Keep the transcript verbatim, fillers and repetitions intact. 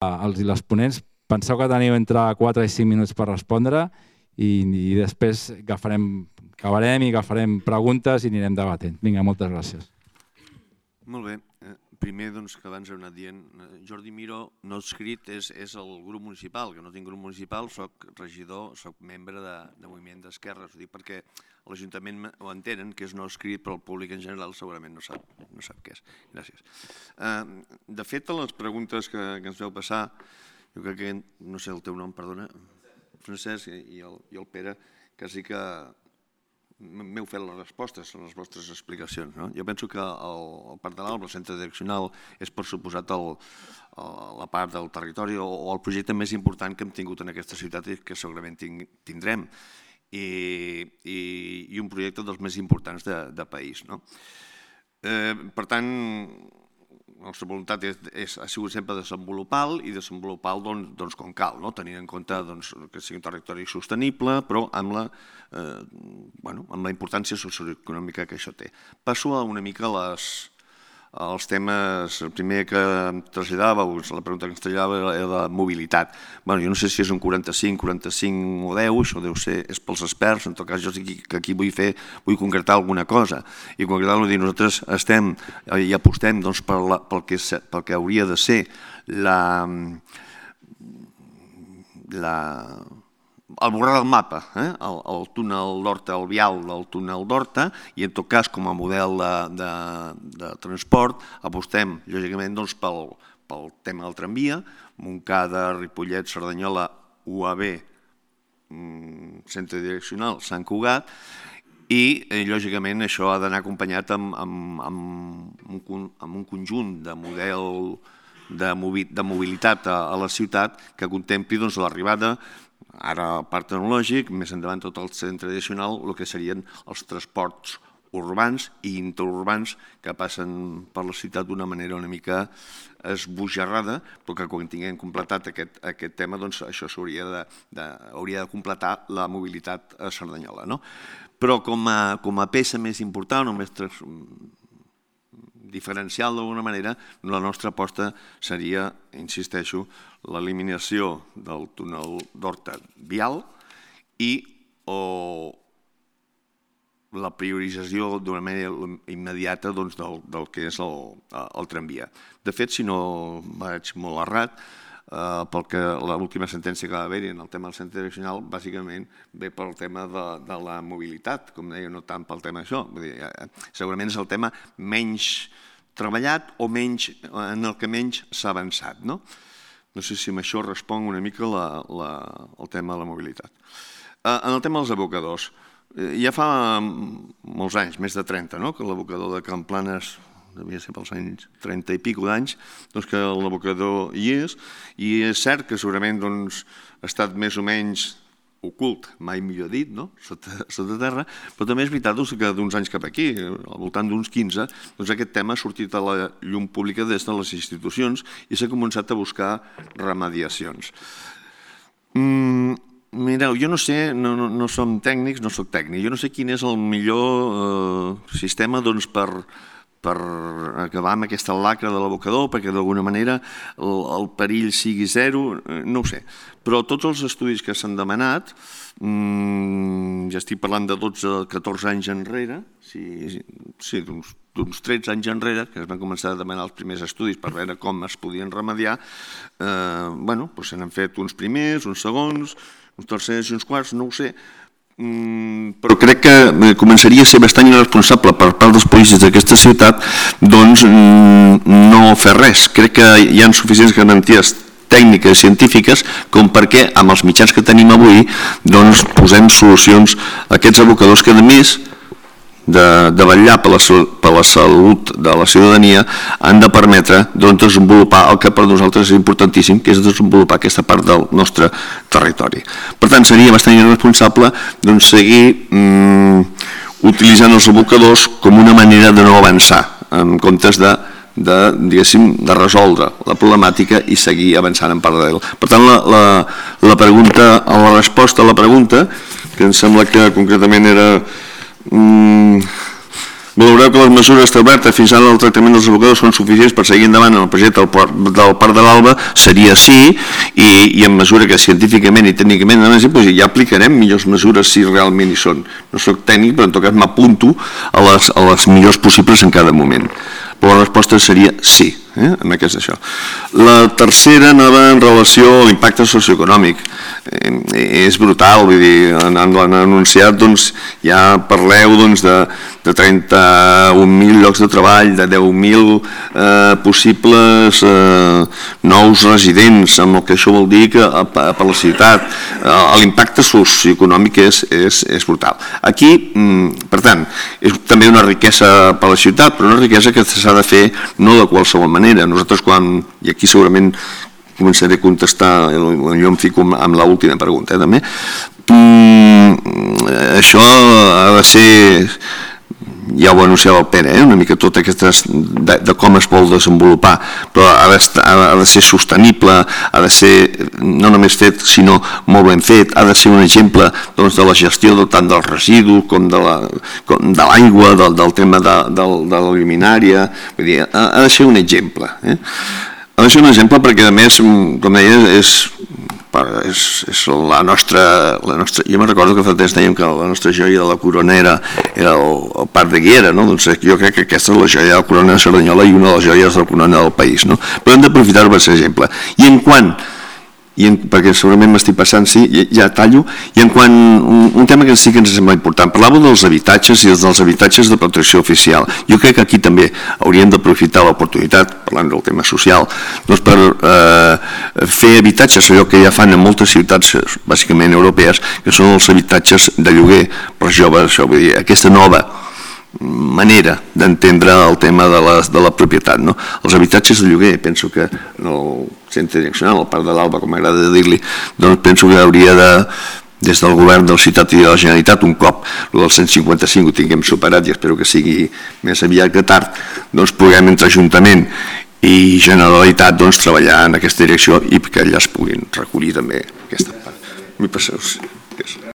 els i les ponents. Penseu que teniu entre quatre i cinc minuts per respondre i, i després agafarem, acabarem i agafarem preguntes i anirem debatent. Vinga, moltes gràcies. Molt bé. Primer, doncs, que abans heu anat dient, Jordi Miró, no escrit, és, és el grup municipal, que no tinc grup municipal, soc regidor, soc membre de, de Moviment d'Esquerres, ho dic perquè l'Ajuntament ho entenen, que és no escrit, però el públic en general segurament no sap, no sap què és. Gràcies. Uh, de fet, a les preguntes que, que ens veu passar, jo crec que, no sé el teu nom, perdona, Francesc i el, i el Pere, quasi que m'heu fet les respostes, les vostres explicacions. No? Jo penso que el, el Parc de l'Alba, el centre direccional, és per suposat el, la part del territori o, o el projecte més important que hem tingut en aquesta ciutat i que segurament tindrem. I, i, i un projecte dels més importants de, de país. No? Eh, per tant, la nostra voluntat és, és, ha sigut sempre desenvolupar-lo i desenvolupar-lo doncs, doncs, com cal, no? Tenint en compte doncs, que sigui un territori sostenible, però amb la, eh, bueno, amb la importància socioeconòmica que això té. Passo a una mica les, els temes. El primer que em traslladàveu, la pregunta que ens traslladava era la mobilitat. Bueno, jo no sé si és un quaranta-cinc, quaranta-cinc o deu, això deu ser, és pels experts, en tot cas jo sí que aquí vull fer, vull concretar alguna cosa. I concretar-ho, dir, nosaltres estem i apostem doncs, per la, pel, que, pel que hauria de ser la, la, el borrar del mapa, eh? el, el túnel d'Horta, el vial del túnel d'Horta, i en tot cas com a model de, de, de transport apostem lògicament doncs, pel, pel tema del tramvia, Montcada, Ripollet, Cerdanyola, U A B, centre direccional Sant Cugat, i eh, lògicament això ha d'anar acompanyat amb, amb, amb, un, amb un conjunt de model de, de mobilitat a, a la ciutat que contempli doncs, l'arribada, ara el parc tecnològic, més endavant tot el centre addicional, el que serien els transports urbans i interurbans que passen per la ciutat d'una manera una mica esbojarrada, però que quan tinguem completat aquest, aquest tema, doncs això s'hauria de, de, hauria de completar la mobilitat a Cerdanyola. No? Però com a, com a peça més important o més diferencial d'alguna manera, la nostra aposta seria, insisteixo, l'eliminació del túnel d'Horta vial i o la priorització d'una manera immediata doncs, del, del que és el, el tramvia. De fet, si no vaig molt errat, eh, pel que l'última sentència que va haver-hi en el tema del centre direccional, bàsicament ve pel tema de, de la mobilitat, com deia, no tant pel tema d'això. Segurament és el tema menys treballat o menys, en el que menys s'ha avançat. No? No sé si amb això respon una mica la, la, el tema de la mobilitat. Eh, en el tema dels abocadors, ja fa molts anys, més de trenta, no? Que l'abocador de Can Planes, devia ser pels anys trenta i pico d'anys, doncs que l'abocador hi és, i és cert que segurament doncs, ha estat més o menys ocult, mai millor dit, no? sota, sota terra, però també és veritat doncs, que d'uns anys cap aquí, al voltant d'uns quinze, doncs aquest tema ha sortit a la llum pública des de les institucions i s'ha començat a buscar remediacions. Mm, Mireu, jo no sé, no, no, no som tècnics, no soc tècnic, jo no sé quin és el millor eh, sistema doncs, per, per acabar amb aquesta lacra de l'abocador, perquè d'alguna manera el, el perill sigui zero, eh, no ho sé. Però tots els estudis que s'han demanat, mmm, ja estic parlant de dotze a catorze anys enrere, sí, sí d'uns d'uns tretze anys enrere, que es van començar a demanar els primers estudis per veure com es podien remediar, eh, bueno, doncs se n'han fet uns primers, uns segons, uns tercers i uns quarts, no ho sé, mm, però crec que començaria a ser bastant irresponsable per part dels polítics d'aquesta ciutat doncs mm, no fer res. Crec que hi ha suficients garanties tècniques i científiques com perquè amb els mitjans que tenim avui doncs posem solucions a aquests abocadors que a més de, de vetllar per la, per la salut de la ciutadania han de permetre doncs, desenvolupar el que per nosaltres és importantíssim, que és desenvolupar aquesta part del nostre territori. Per tant, seria bastant irresponsable doncs, seguir mm, utilitzant els abocadors com una manera de no avançar, en comptes de, de, diguéssim, de resoldre la problemàtica i seguir avançant en paral·lel. Per tant, la, la, la, pregunta, la resposta a la pregunta, que em sembla que concretament era Mm, Valoreu que les mesures establertes fins ara del tractament dels abocadors són suficients per seguir endavant en el projecte del Parc, del Parc de l'Alba, seria sí, i, i en mesura que científicament i tècnicament doncs ja aplicarem millors mesures si realment hi són. No soc tècnic, però en tot cas m'apunto a les, a les millors possibles en cada moment. Però la resposta seria sí, eh, en aquest això. La tercera anava en relació a l'impacte socioeconòmic. Eh, és brutal, vull dir, han, han anunciat, doncs, ja parleu doncs, de, de trenta-un mil llocs de treball, de deu mil eh, possibles eh, nous residents, amb el que això vol dir que a, a, per la ciutat eh, l'impacte socioeconòmic és, és, és brutal. Aquí, mm, per tant, és també una riquesa per la ciutat, però una riquesa que s'ha de fer no de qualsevol manera. Nosaltres quan, i aquí segurament començaré a contestar, jo em fico amb l'última pregunta, eh, també. Mm, això ha de ser, ja ho anunciava el Pere, eh, una mica tot aquestes, de, de com es vol desenvolupar, però ha de, ha de ser sostenible, ha de ser no només fet, sinó molt ben fet, ha de ser un exemple doncs, de la gestió de, tant dels residus com de l'aigua, de del, del tema de, de, de la luminària, vull dir, ha, ha de ser un exemple, eh? Ha de ser un exemple perquè, a més, com deia, és, és, és la, nostra, la nostra... Jo me'n recordo que fa temps dèiem que la nostra joia de la corona era, era el, el Parc de Guiera, no? Doncs jo crec que aquesta és la joia de la corona de Cerdanyola i una de les joies de la corona del país, no? Però hem d'aprofitar-ho per ser exemple. I en quant... I en, perquè segurament m'estic passant, sí, ja, ja tallo, i en quant un, un tema que sí que ens sembla important, parlàveu dels habitatges i dels habitatges de protecció oficial. Jo crec que aquí també hauríem d'aprofitar l'oportunitat, parlant del tema social, doncs per eh, fer habitatges, allò que ja fan en moltes ciutats, bàsicament europees, que són els habitatges de lloguer per joves, això vull dir, aquesta nova manera d'entendre el tema de la, de la propietat, no? Els habitatges de lloguer, penso que el centre direccional, el Parc de l'Alba, com m'agrada dir-li, doncs penso que hauria de, des del govern de la ciutat i de la Generalitat, un cop el del cent cinquanta-cinc ho tinguem superat i espero que sigui més aviat que tard, doncs puguem entre Ajuntament i Generalitat doncs, treballar en aquesta direcció i que allà es puguin recollir també aquesta part. M'hi passeu.